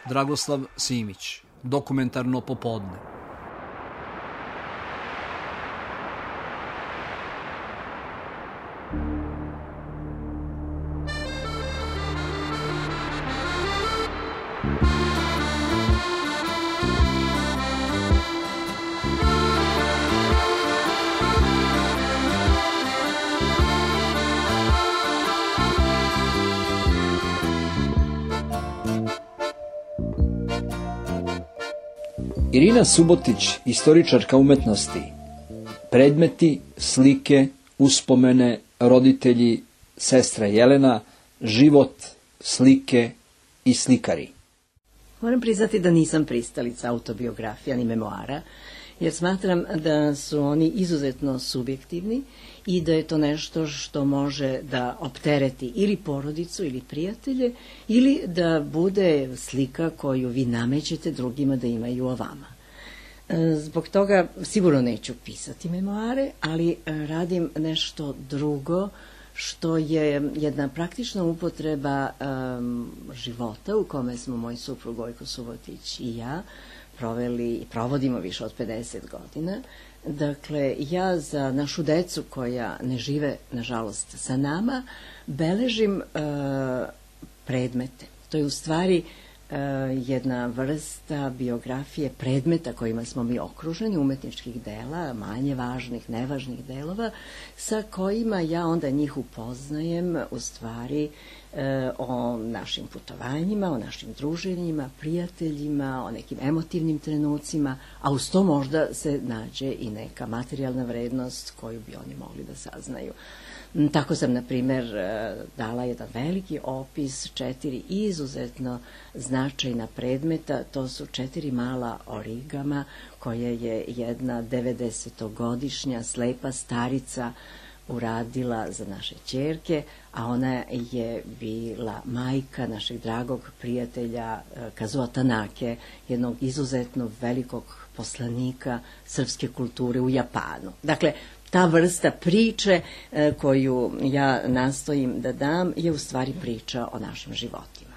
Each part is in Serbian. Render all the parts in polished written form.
Dragoslav Simić, Dokumentarno popodne. Irina Subotić, istoričarka umetnosti. Predmeti, slike, uspomene, roditelji, sestra Jelena, život, slike i slikari. Moram priznati da nisam pristalica autobiografija ni memoara, jer smatram da su oni izuzetno subjektivni i da je to nešto što može da optereti ili porodicu ili prijatelje, ili da bude slika koju vi namećete drugima da imaju o vama. Zbog toga sigurno neću pisati memoare, ali radim nešto drugo što je jedna praktična upotreba života u kome smo moj suprug Gojko Subotić i ja proveli i provodimo više od 50 godina. Dakle, ja za našu decu koja ne žive, nažalost, sa nama, beležim predmete. To je u stvari jedna vrsta biografije predmeta kojima smo mi okruženi, umetničkih dela, manje važnih, nevažnih delova, sa kojima ja onda njih upoznajem u stvari o našim putovanjima, o našim druženjima, prijateljima, o nekim emotivnim trenucima, a uz to možda se nađe i neka materijalna vrednost koju bi oni mogli da saznaju. Tako sam, na primjer, dala jedan veliki opis 4 izuzetno značajna predmeta. To su 4 mala origama koje je jedna 90-godišnja slepa starica uradila za naše ćerke, a ona je bila majka našeg dragog prijatelja Kazuo Tanake, jednog izuzetno velikog poslanika srpske kulture u Japanu. Dakle, ta vrsta priče koju ja nastojim da dam je u stvari priča o našim životima.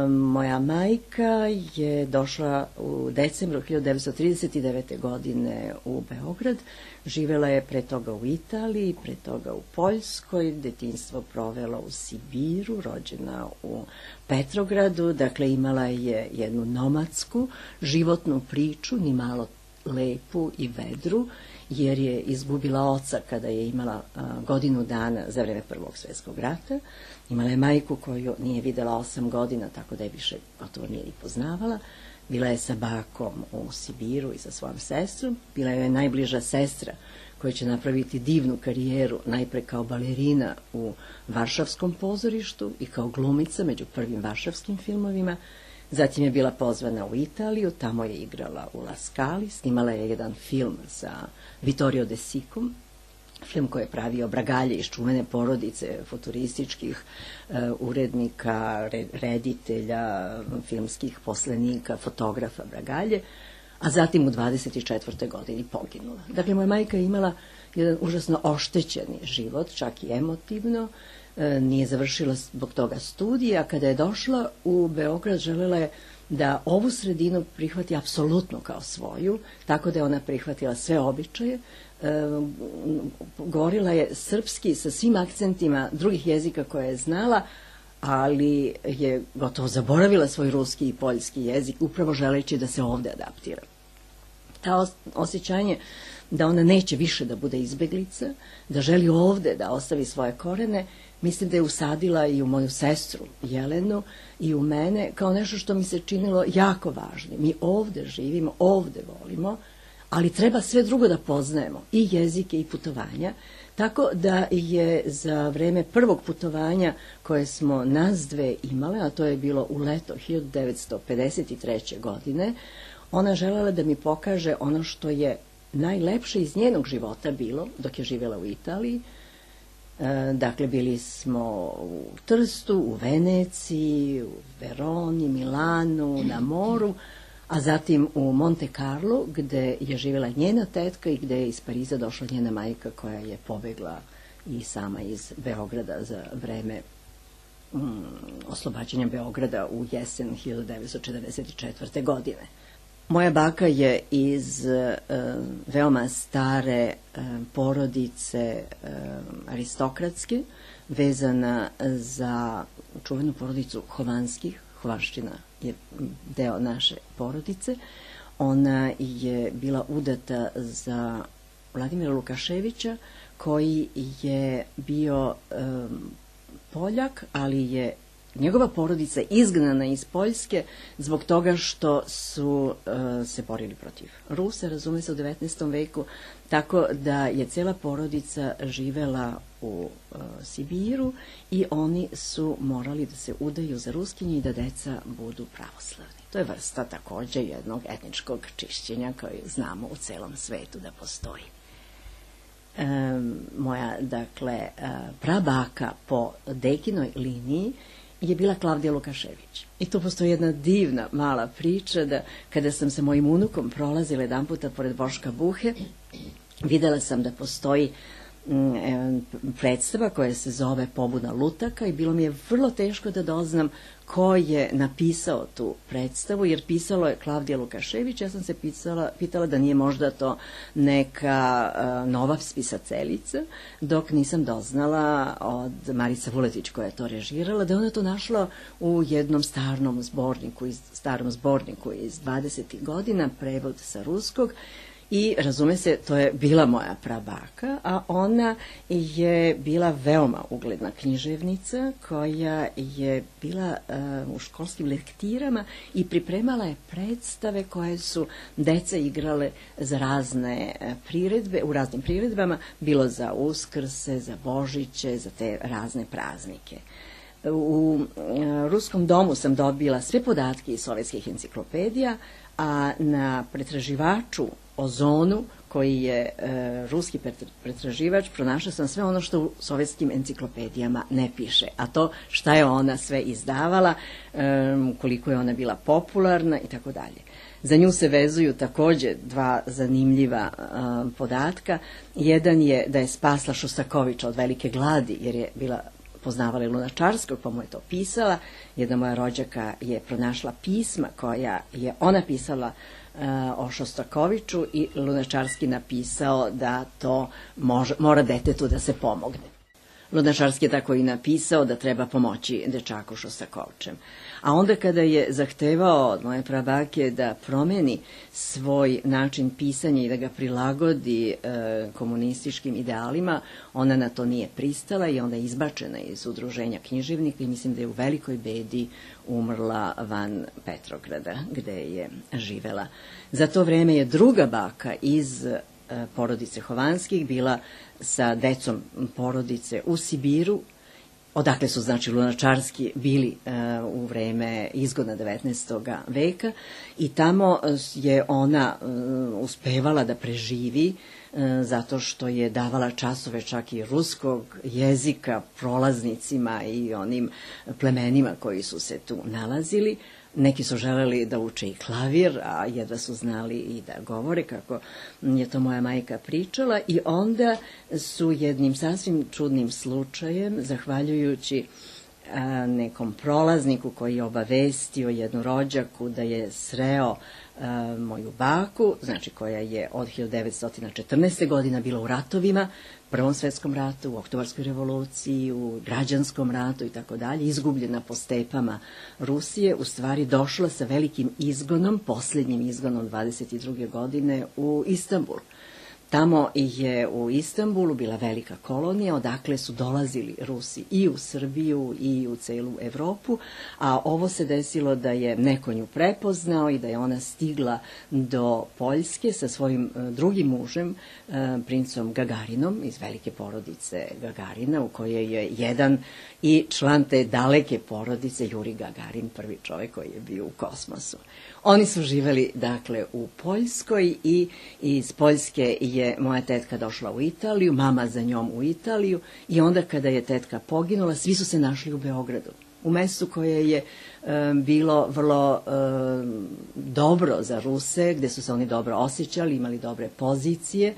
Moja majka je došla u decembru 1939. godine u Beograd. Živela je pre toga u Italiji, pre toga u Poljskoj, detinjstvo provela u Sibiru, rođena u Petrogradu. Dakle, imala je jednu nomadsku životnu priču, ni malo lepu i vedru, jer je izgubila oca kada je imala godinu dana za vreme Prvog svjetskog rata. Imala je majku koju nije videla 8 godina, tako da je više gotovo nije ni poznavala. Bila je sa bakom u Sibiru i sa svojom sestrom. Bila je najbliža sestra koja će napraviti divnu karijeru najpre kao balerina u Varšavskom pozorištu i kao glumica među prvim varšavskim filmovima. Zatim je bila pozvana u Italiju, tamo je igrala u La Scali, snimala je jedan film sa Vittorio De Sicom, film koji je pravio Bragalje iz čuvene porodice futurističkih urednika, reditelja, filmskih poslenika, fotografa Bragalje, a zatim u 24. godini poginula. Dakle, moja majka je imala jedan užasno oštećeni život, čak i emotivno, nije završila zbog toga studije, a kada je došla u Beograd želela je da ovu sredinu prihvati apsolutno kao svoju, tako da je ona prihvatila sve običaje, govorila je srpski sa svim akcentima drugih jezika koje je znala, ali je gotovo zaboravila svoj ruski i poljski jezik, upravo želeći da se ovde adaptira. Ta osjećanje da ona neće više da bude izbeglica, da želi ovde da ostavi svoje korene, mislim da je usadila i u moju sestru Jelenu i u mene kao nešto što mi se činilo jako važno. Mi ovde živimo, ovde volimo, ali treba sve drugo da poznajemo, i jezike i putovanja, tako da je za vreme prvog putovanja koje smo nas dve imale, a to je bilo u leto 1953. godine, ona želela da mi pokaže ono što je najlepše iz njenog života bilo dok je živjela u Italiji. Dakle, bili smo u Trstu, u Veneciji, u Veroni, Milanu, na moru, a zatim u Monte Carlo, gde je živjela njena tetka i gde je iz Pariza došla njena majka koja je pobegla i sama iz Beograda za vreme oslobađanja Beograda u jesen 1944. godine. Moja baka je iz veoma stare porodice aristokratske, vezana za čuvenu porodicu Hovanskih. Hovanština je deo naše porodice. Ona je bila udata za Vladimira Lukaševića, koji je bio Poljak, ali je njegova porodica izgnana iz Poljske zbog toga što su se borili protiv Rusa, razume se, u 19. veku, tako da je cela porodica živela u Sibiru i oni su morali da se udaju za Ruskinje i da deca budu pravoslavni. To je vrsta takođe jednog etničkog čišćenja koji znamo u celom svetu da postoji. Moja, dakle, prabaka po dekinoj liniji je bila Klavdija Lukašević. I tu postoji jedna divna mala priča da kada sam sa mojim unukom prolazila jedan puta pored Boška Buhe, videla sam da postoji predstava koja se zove Pobuna lutaka i bilo mi je vrlo teško da doznam ko je napisao tu predstavu, jer pisalo je Klavdija Lukašević. Ja sam se pitala da nije možda to neka nova pisateljica, dok nisam doznala od Marice Vuletić koja je to režirala, da je ona to našla u jednom starom zborniku iz 20. godina, prevod sa ruskog. I razume se, to je bila moja prabaka, a ona je bila veoma ugledna književnica koja je bila u školskim lektirama i pripremala je predstave koje su deca igrale za razne priredbe, u raznim priredbama, bilo za Uskrse, za Božiće, za te razne praznike. U Ruskom domu sam dobila sve podatke iz sovjetskih enciklopedija, a na pretraživaču Ozonu, koji je ruski pretraživač, pronašla sam sve ono što u sovjetskim enciklopedijama ne piše, a to šta je ona sve izdavala, koliko je ona bila popularna i tako dalje. Za nju se vezuju takođe dva zanimljiva podatka. Jedan je da je spasla Šostakoviča od velike gladi, jer je bila poznavala Lunačarskog, pa mu je to pisala. Jedna moja rođaka je pronašla pisma koja je ona pisala o Šostakoviču i Lunačarski napisao da to mora detetu da se pomogne. Lunačarski je tako i napisao da treba pomoći dečaku Šostakovčem. A onda kada je zahtevao od moje prabake da promeni svoj način pisanja i da ga prilagodi komunističkim idealima, ona na to nije pristala i onda je izbačena iz udruženja književnika i mislim da je u velikoj bedi umrla van Petrograda, gde je živela. Za to vreme je druga baka iz porodice Hovanskih bila sa decom porodice u Sibiru, odakle su, znači, Lunačarski bili u vreme izgona 19. veka i tamo je ona uspevala da preživi zato što je davala časove čak i ruskog jezika prolaznicima i onim plemenima koji su se tu nalazili. Neki su želeli da uče i klavir, a jedva su znali i da govore, kako je to moja majka pričala. I onda su jednim sasvim čudnim slučajem, zahvaljujući nekom prolazniku koji je obavestio jednu rođaku da je sreo moju baku, znači koja je od 1914. godina bila u ratovima, Prvom svetskom ratu, u Oktobarskoj revoluciji, u građanskom ratu i tako dalje, izgubljena po stepama Rusije, u stvari došla sa velikim izgonom, posljednjim izgonom 22. godine u Istanbul. Tamo je u Istanbulu bila velika kolonija, odakle su dolazili Rusi i u Srbiju i u celu Evropu, a ovo se desilo da je neko nju prepoznao i da je ona stigla do Poljske sa svojim drugim mužem, princom Gagarinom, iz velike porodice Gagarina, u kojoj je jedan i član te daleke porodice, Juri Gagarin, prvi čovjek koji je bio u kosmosu. Oni su živeli, dakle, u Poljskoj i iz Poljske je moja tetka došla u Italiju, mama za njom u Italiju i onda kada je tetka poginula, svi su se našli u Beogradu, u mestu koje je bilo vrlo dobro za Ruse, gde su se oni dobro osjećali, imali dobre pozicije.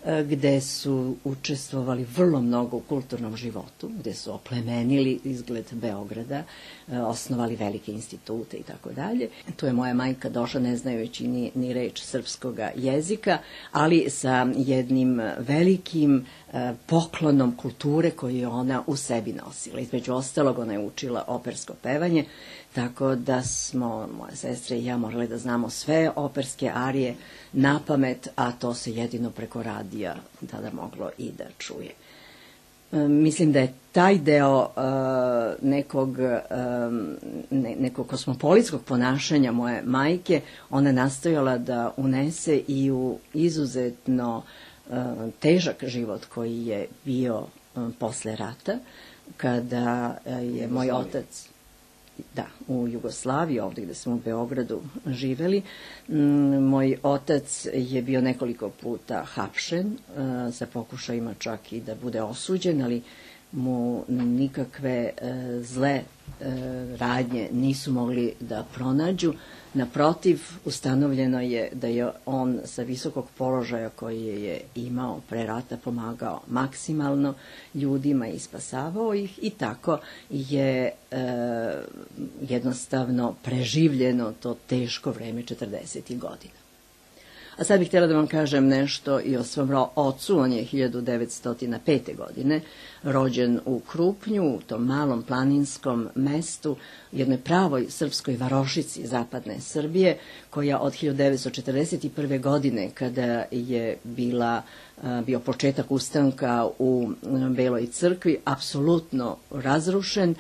gde su učestvovali vrlo mnogo u kulturnom životu, gde su oplemenili izgled Beograda, osnovali velike institute i tako dalje. Tu je moja majka došla ne znajući ni reč srpskog jezika, ali sa jednim velikim poklonom kulture koju je ona u sebi nosila. Između ostalog, ona je učila opersko pevanje, tako da smo, moja sestra i ja, morali da znamo sve operske arije na pamet, a to se jedino preko radija tada moglo i da čuje. Mislim da je taj deo nekog kosmopolitskog ponašanja moje majke ona nastojala da unese i u izuzetno težak život koji je bio posle rata, kada je moj otac, u Jugoslaviji, ovdje gde smo u Beogradu živeli, moj otac je bio nekoliko puta hapšen, sa pokušajima čak i da bude osuđen, ali mu nikakve zle radnje nisu mogli da pronađu. Naprotiv, ustanovljeno je da je on sa visokog položaja koji je imao pre rata pomagao maksimalno ljudima i spasavao ih, i tako je jednostavno preživljeno to teško vreme 40. godina. A sad bih htjela da vam kažem nešto i o svom ocu. On je 1905. godine rođen u Krupnju, u tom malom planinskom mestu, jednoj pravoj srpskoj varošici zapadne Srbije, koja od 1941. godine, kada je bio početak ustanka u Beloj crkvi, apsolutno razrušen,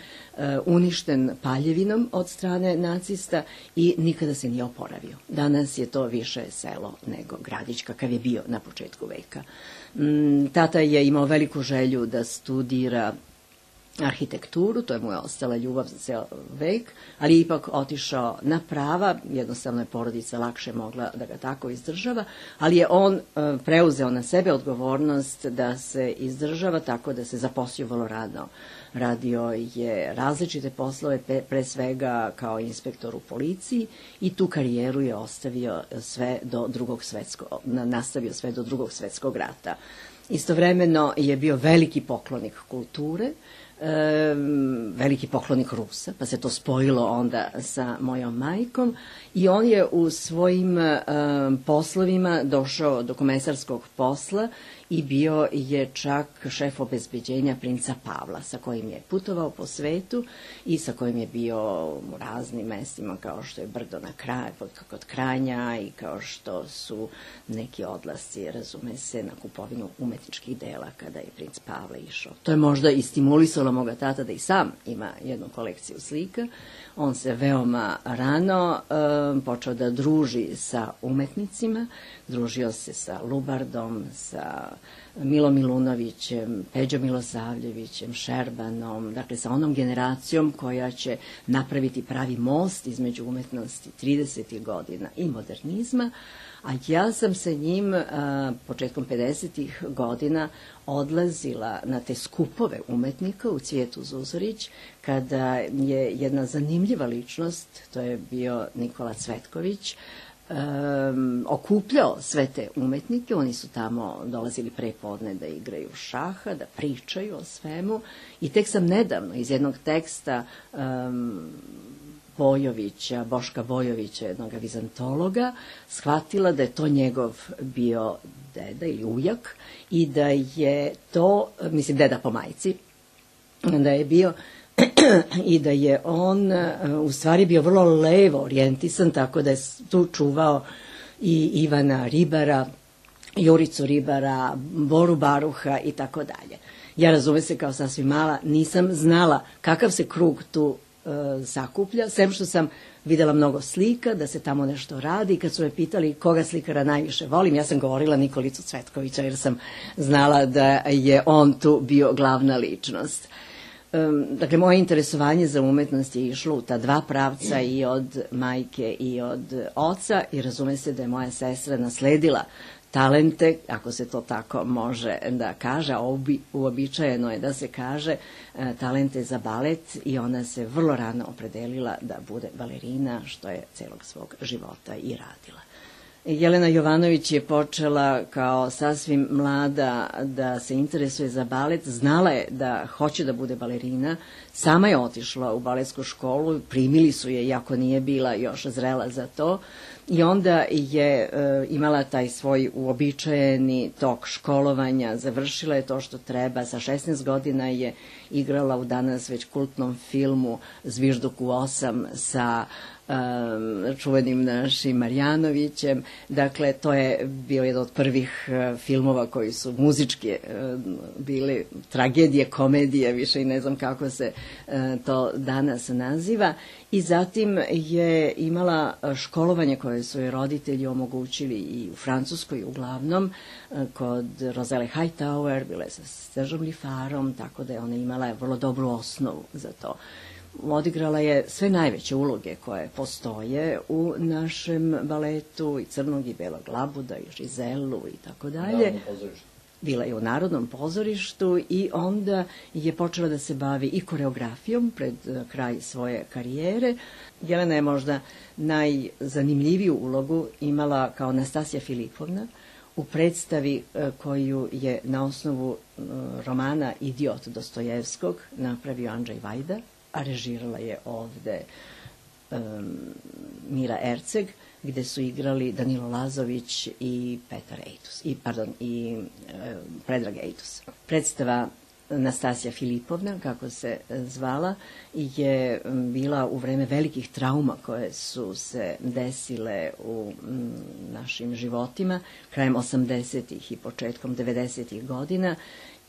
uništen paljevinom od strane nacista i nikada se nije oporavio. Danas je to više selo nego gradić kakav je bio na početku veka. Tata je imao veliku želju da studira arhitekturu, to je mu je ostala ljubav za ceo vek, ali je ipak otišao na prava, jednostavno je porodica lakše mogla da ga tako izdržava, ali je on preuzeo na sebe odgovornost da se izdržava tako da se zaposlio vrlo rano. Radio je različite poslove, pre svega kao inspektor u policiji, i tu karijeru je nastavio sve do Drugog svetskog rata. Istovremeno je bio veliki poklonik kulture, veliki poklonik Rusa, pa se to spojilo onda sa mojom majkom, i on je u svojim poslovima došao do komesarskog posla i bio je čak šef obezbeđenja princa Pavla, sa kojim je putovao po svetu i sa kojim je bio u raznim mestima, kao što je Brdo kod Kranja, i kao što su neki odlasci, razume se, na kupovinu umetničkih dela kada je princ Pavle išao. To je možda i stimulisalo moga tata da i sam ima jednu kolekciju slika. On se veoma rano počeo da druži sa umetnicima, družio se sa Lubardom, sa Milom Milunovićem, Peđom Milosavljevićem, Šerbanom, dakle sa onom generacijom koja će napraviti pravi most između umetnosti 30. godina i modernizma, a ja sam sa njim početkom 50. godina odlazila na te skupove umetnika u Cvijetu Zuzorić, kada je jedna zanimljiva ličnost, to je bio Nikola Cvetković, okupljao sve te umetnike. Oni su tamo dolazili pre podne da igraju šaha, da pričaju o svemu, i tek sam nedavno iz jednog teksta Boška Bojovića, jednog vizantologa, shvatila da je to njegov bio deda ili ujak, i da je to, mislim deda po majci, da je bio i da je on u stvari bio vrlo levo orijentisan, tako da je tu čuvao i Ivana Ribara, Juricu Ribara, Boru Baruha i tako dalje. Ja, razume se, kao sasvim mala, nisam znala kakav se krug tu sakuplja, sem što sam videla mnogo slika, da se tamo nešto radi, i kad su me pitali koga slikara najviše volim, ja sam govorila Nikolicu Cvetkovića, jer sam znala da je on tu bio glavna ličnost. Dakle, moje interesovanje za umetnost je išlo u ta dva pravca, i od majke i od oca, i razume se da je moja sestra nasledila talente, ako se to tako može da kaže, a uobičajeno je da se kaže, talente za balet, i ona se vrlo rano opredelila da bude balerina, što je celog svog života i radila. Jelena Jovanović je počela kao sasvim mlada da se interesuje za balet, znala je da hoće da bude balerina, sama je otišla u baletsku školu, primili su je iako nije bila još zrela za to i onda je imala taj svoj uobičajeni tok školovanja, završila je to što treba, sa 16 godina je igrala u danas već kultnom filmu Zvižduk u 8 sa čuvenim našim Marjanovićem. Dakle, to je bio jedan od prvih filmova koji su muzički bili tragedije, komedije, više i ne znam kako se to danas naziva. I zatim je imala školovanje koje su joj roditelji omogućili i u Francuskoj uglavnom, kod Roselle Hightower, bila je sa Sergeom Liffarom, tako da je ona imala vrlo dobru osnovu za to. Odigrala je sve najveće uloge koje postoje u našem baletu, i Crnog i Belog labuda, i Žizelu i tako dalje. Bila je u Narodnom pozorištu i onda je počela da se bavi i koreografijom pred kraj svoje karijere. Jelena je možda najzanimljiviju ulogu imala kao Nastasija Filipovna u predstavi koju je na osnovu romana Idiot Dostojevskog napravio Andrzej Vajda, a režirala je ovde Mira Erceg, gde su igrali Danilo Lazović i Predrag Ejtus. Predstava Nastasija Filipovna, kako se zvala, je bila u vreme velikih trauma koje su se desile u našim životima, krajem 80. i početkom 90. godina,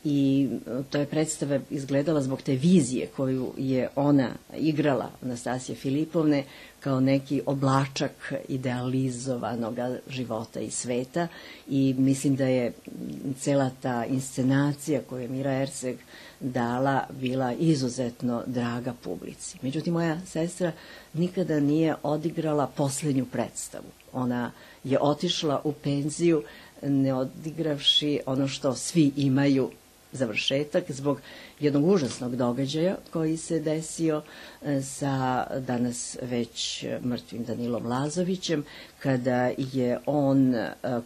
i to je predstava izgledala zbog te vizije koju je ona igrala, Nastasija Filipovne, kao neki oblačak idealizovanog života i sveta, i mislim da je cela ta inscenacija koju je Mira Erceg dala bila izuzetno draga publici. Međutim, moja sestra nikada nije odigrala poslednju predstavu. Ona je otišla u penziju ne odigravši ono što svi imaju, završetak, zbog jednog užasnog događaja koji se desio sa danas već mrtvim Danilom Lazovićem, kada je on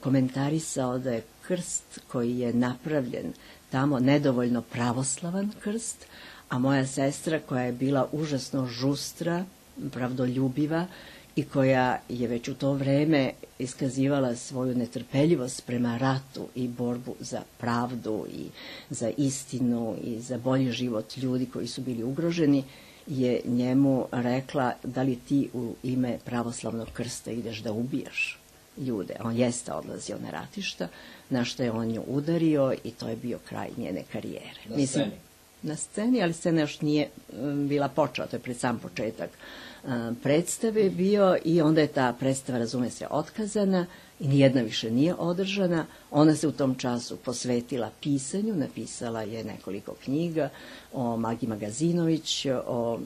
komentarisao da je krst koji je napravljen tamo nedovoljno pravoslavan krst, a moja sestra, koja je bila užasno žustra, pravdoljubiva i koja je već u to vreme iskazivala svoju netrpeljivost prema ratu i borbu za pravdu i za istinu i za bolji život ljudi koji su bili ugroženi, je njemu rekla: da li ti u ime pravoslavnog krsta ideš da ubijaš ljude? On jeste odlazio na ratišta, na što je on nju udario i to je bio kraj njene karijere. Na sceni, ali scena još nije bila počela, to je pred sam početak predstave bio, i onda je ta predstava, razume se, otkazana i nijedna više nije održana. Ona se u tom času posvetila pisanju, napisala je nekoliko knjiga o Magi Magazinović, o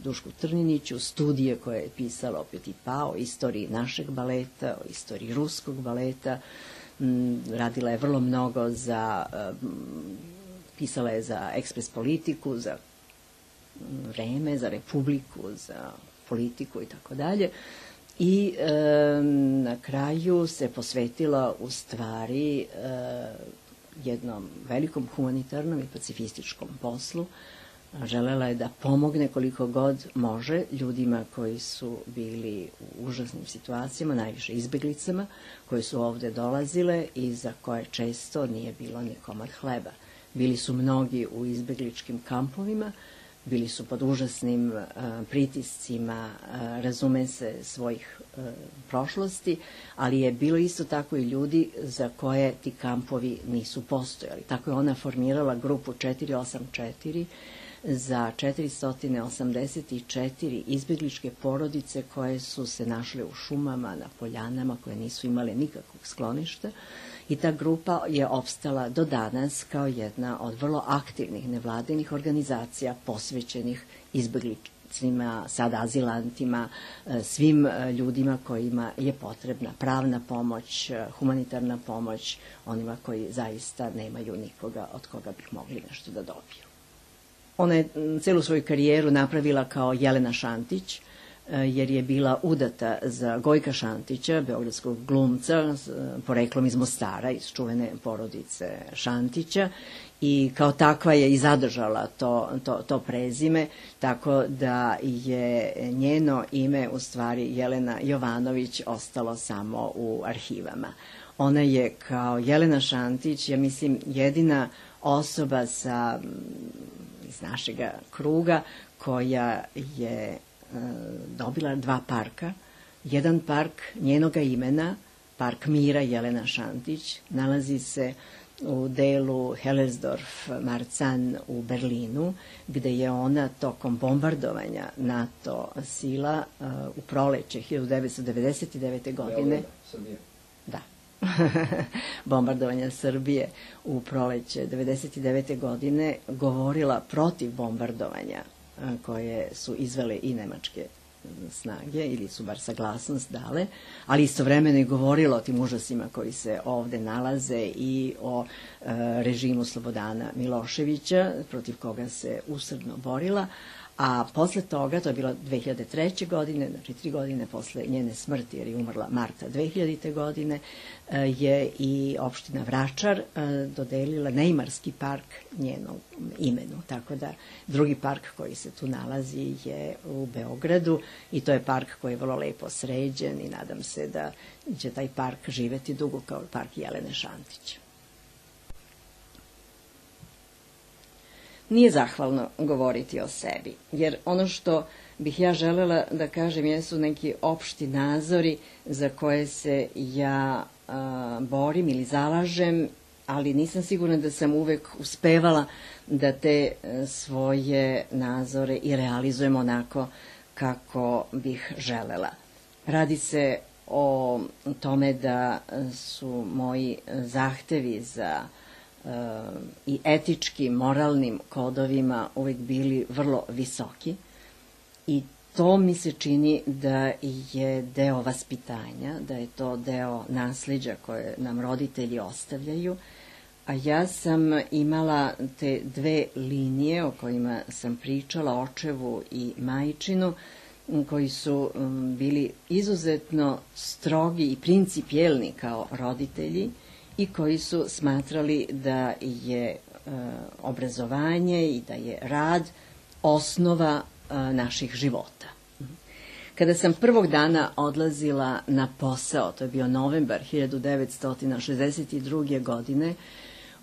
Dušku Trniniću, studije koje je pisala o Petit Pas, o istoriji našeg baleta, o istoriji ruskog baleta. Radila je vrlo mnogo pisala je za Ekspres Politiku, za Vreme, za Republiku, za Politiku i tako dalje. I na kraju se posvetila u stvari jednom velikom humanitarnom i pacifističkom poslu. Želela je da pomogne koliko god može ljudima koji su bili u užasnim situacijama, najviše izbeglicama, koje su ovde dolazile i za koje često nije bilo ni komad hleba. Bili su mnogi u izbegličkim kampovima, bili su pod užasnim pritiscima, razume se, svojih prošlosti, ali je bilo isto tako i ljudi za koje ti kampovi nisu postojali. Tako je ona formirala grupu 484 za 484 izbegličke porodice koje su se našle u šumama, na poljanama, koje nisu imale nikakvog skloništa. I ta grupa je opstala do danas kao jedna od vrlo aktivnih nevladinih organizacija posvećenih izbeglicima, sada azilantima, svim ljudima kojima je potrebna pravna pomoć, humanitarna pomoć, onima koji zaista nemaju nikoga od koga bih mogli nešto da dobiju. Ona je celu svoju karijeru napravila kao Jelena Šantić, jer je bila udata za Gojka Šantića, beogradskog glumca, poreklom iz Mostara, iz čuvene porodice Šantića, i kao takva je i zadržala to prezime, tako da je njeno ime, u stvari Jelena Jovanović, ostalo samo u arhivama. Ona je kao Jelena Šantić, ja mislim, jedina osoba iz našega kruga koja je dobila 2 parka. Jedan park njenoga imena, park Mira Jelena Šantić, nalazi se u delu Hellersdorf-Marzahn u Berlinu, gde je ona tokom bombardovanja NATO sila u proleće 1999. godine, da, bombardovanja Srbije u proleće 1999. godine, govorila protiv bombardovanja koje su izvele i nemačke snage, ili su bar saglasnost dale, ali istovremeno i govorila o tim užasima koji se ovde nalaze i o režimu Slobodana Miloševića, protiv koga se usrdno borila. A posle toga, to je bilo 2003. godine, znači 3 godine posle njene smrti, jer je umrla marta 2000. godine, je i opština Vračar dodelila Neimarski park njenom imenu. Tako da drugi park koji se tu nalazi je u Beogradu i to je park koji je vrlo lepo sređen i nadam se da će taj park živeti dugo kao park Jelene Šantić. Nije zahvalno govoriti o sebi, jer ono što bih ja želela da kažem jesu neki opšti nazori za koje se ja borim ili zalažem, ali nisam sigurna da sam uvek uspevala da te svoje nazore i realizujem onako kako bih želela. Radi se o tome da su moji zahtevi za i etičkim, moralnim kodovima uvek bili vrlo visoki i to mi se čini da je deo vaspitanja, da je to deo nasleđa koje nam roditelji ostavljaju, a ja sam imala te 2 linije o kojima sam pričala, očevu i majčinu, koji su bili izuzetno strogi i principijelni kao roditelji i koji su smatrali da je obrazovanje i da je rad osnova naših života. Kada sam prvog dana odlazila na posao, to je bio novembar 1962. godine,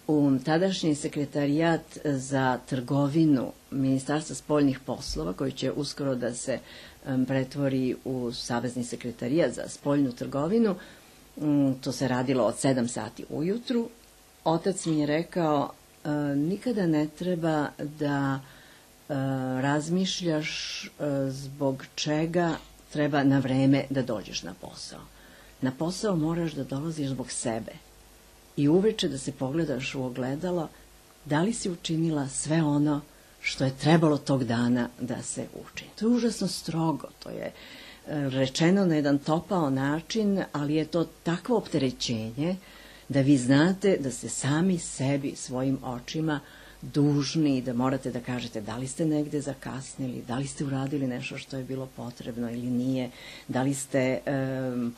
u tadašnji sekretarijat za trgovinu Ministarstva spoljnih poslova, koji će uskoro da se pretvori u Savezni sekretarijat za spoljnu trgovinu, to se radilo od 7 sati ujutru, otac mi je rekao, nikada ne treba da razmišljaš zbog čega treba na vreme da dođeš na posao. Na posao moraš da dolaziš zbog sebe i uveče da se pogledaš u ogledalo da li si učinila sve ono što je trebalo tog dana da se učini. To je užasno strogo, to je rečeno na jedan topao način, ali je to takvo opterećenje da vi znate da ste sami sebi, svojim očima dužni, da morate da kažete da li ste negde zakasnili, da li ste uradili nešto što je bilo potrebno ili nije, da li ste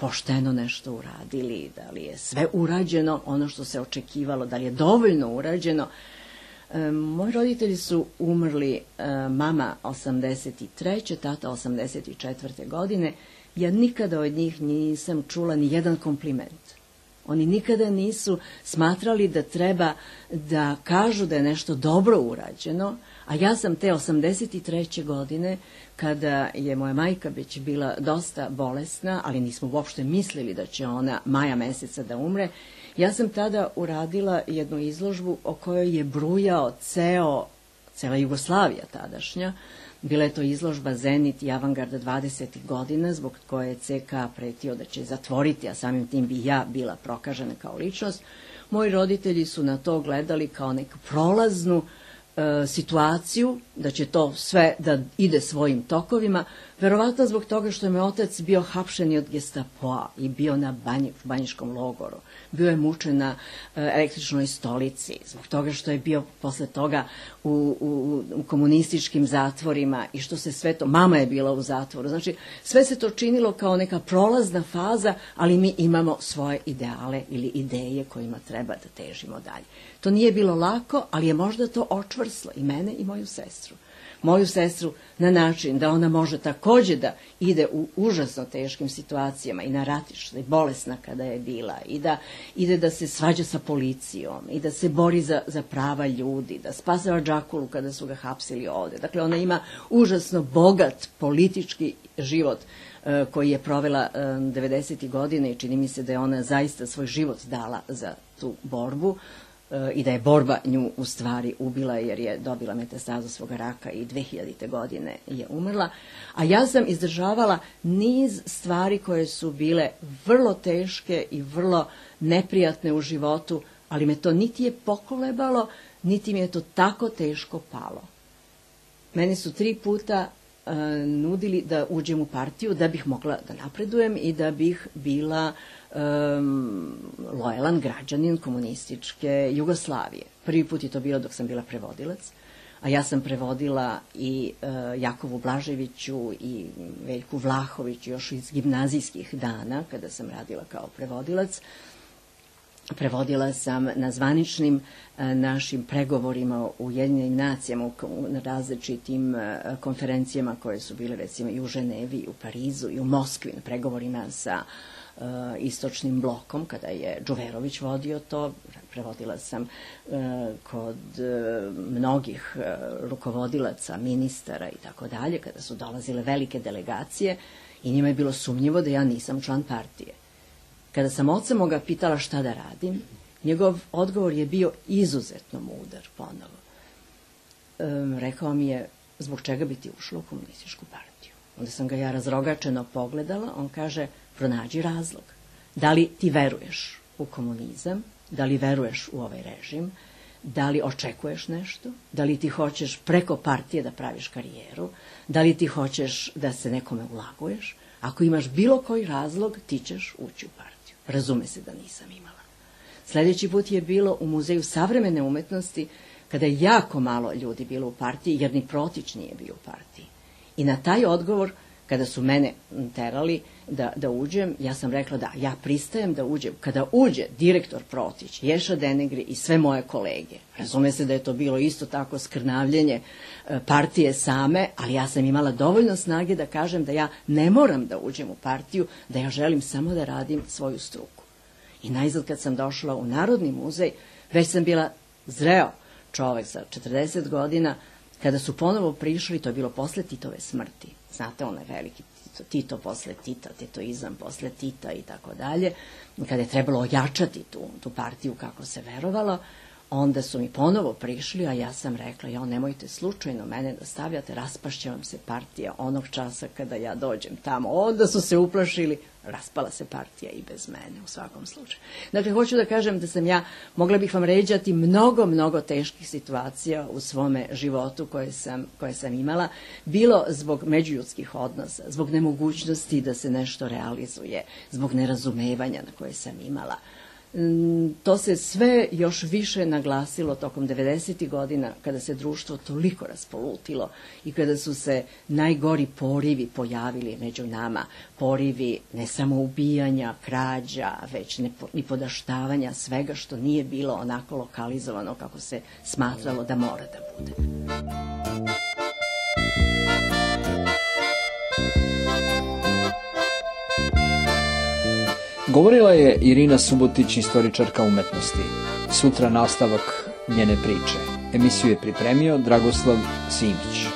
pošteno nešto uradili, da li je sve urađeno ono što se očekivalo, da li je dovoljno urađeno. Moji roditelji su umrli, mama 83. tata 84. godine. Ja nikada od njih nisam čula ni jedan kompliment. Oni nikada nisu smatrali da treba da kažu da je nešto dobro urađeno, a ja sam te 83. godine, kada je moja majka već bila dosta bolesna, ali nismo uopšte mislili da će ona maja meseca da umre, ja sam tada uradila jednu izložbu o kojoj je brujao cela Jugoslavija tadašnja. Bila je to izložba Zenit i Avangarda 20. godina, zbog koje je CK pretio da će zatvoriti, a samim tim bi ja bila prokažena kao ličnost. Moji roditelji su na to gledali kao neku prolaznu situaciju, da će to sve da ide svojim tokovima, Verovatno zbog toga što je moj otac bio hapšen od Gestapoa i bio na banjiškom logoru. Bio je mučen na električnoj stolici, zbog toga što je bio posle toga u komunističkim zatvorima i što se sve to, mama je bila u zatvoru. Znači, sve se to činilo kao neka prolazna faza, ali mi imamo svoje ideale ili ideje kojima treba da težimo dalje. To nije bilo lako, ali je možda to očvrslo i mene i moju sestru. Moju sestru na način da ona može takođe da ide u užasno teškim situacijama i na ratištu, i bolesna kada je bila, i da ide da se svađa sa policijom, i da se bori za prava ljudi, da spasava Džakulu kada su ga hapsili ovde. Dakle, ona ima užasno bogat politički život koji je provela 90. godine i čini mi se da je ona zaista svoj život dala za tu borbu. I da je borba nju u stvari ubila jer je dobila metastazu svoga raka i 2000. godine je umrla. A ja sam izdržavala niz stvari koje su bile vrlo teške i vrlo neprijatne u životu, ali me to niti je pokolebalo, niti mi je to tako teško palo. Meni su 3 puta nudili da uđem u partiju da bih mogla da napredujem i da bih bila lojalan građanin komunističke Jugoslavije. Prvi put je to bilo dok sam bila prevodilac, a ja sam prevodila i Jakovu Blaževiću i Veljku Vlahoviću još iz gimnazijskih dana kada sam radila kao prevodilac. Prevodila sam na zvaničnim našim pregovorima u Ujedinjenim nacijama, na različitim konferencijama koje su bile recimo i u Ženevi, i u Parizu, i u Moskvi, na pregovorima sa istočnim blokom, kada je Džuverović vodio to. Prevodila sam kod mnogih rukovodilaca, ministara i tako dalje, kada su dolazile velike delegacije i njima je bilo sumnjivo da ja nisam član partije. Kada sam oca moga pitala šta da radim, njegov odgovor je bio izuzetno mudar ponovo. Rekao mi je, zbog čega bi ti ušla u komunističku partiju? Onda sam ga ja razrogačeno pogledala, on kaže, pronađi razlog. Da li ti veruješ u komunizam, da li veruješ u ovaj režim, da li očekuješ nešto, da li ti hoćeš preko partije da praviš karijeru, da li ti hoćeš da se nekome ulaguješ, ako imaš bilo koji razlog, ti ćeš ući u partiju. Razume se da nisam imala. Sledeći put je bilo u Muzeju savremene umetnosti, kada je jako malo ljudi bilo u partiji, jer ni Protić nije bio u partiji. I na taj odgovor, kada su mene terali da uđem, ja sam rekla da, ja pristajem da uđem. Kada uđe direktor Protić, Ješa Denegri i sve moje kolege, razume se da je to bilo isto tako skrnavljenje partije same, ali ja sam imala dovoljno snage da kažem da ja ne moram da uđem u partiju, da ja želim samo da radim svoju struku. I najzad kad sam došla u Narodni muzej, već sam bila zreo čovek sa 40 godina, kada su ponovo prišli, to je bilo posle Titove smrti. Znate, onaj veliki Tito posle Tita, titoizam posle Tita i tako dalje. Kada je trebalo ojačati tu partiju kako se verovalo, onda su mi ponovo prišli, a ja sam rekla, nemojte slučajno mene da stavljate, raspašće vam se partija onog časa kada ja dođem tamo. Onda su se uplašili, raspala se partija i bez mene u svakom slučaju. Dakle, hoću da kažem da sam ja, mogla bih vam ređati mnogo teških situacija u svome životu koje sam imala, bilo zbog međuljudskih odnosa, zbog nemogućnosti da se nešto realizuje, zbog nerazumevanja na koje sam imala. To se sve još više naglasilo tokom 90. godina, kada se društvo toliko raspolutilo i kada su se najgori porivi pojavili među nama. Porivi ne samo ubijanja, krađa, već i podaštavanja svega što nije bilo onako lokalizovano kako se smatralo da mora da bude. Govorila je Irina Subotić, istoričarka umetnosti. Sutra nastavak njene priče. Emisiju je pripremio Dragoslav Simić.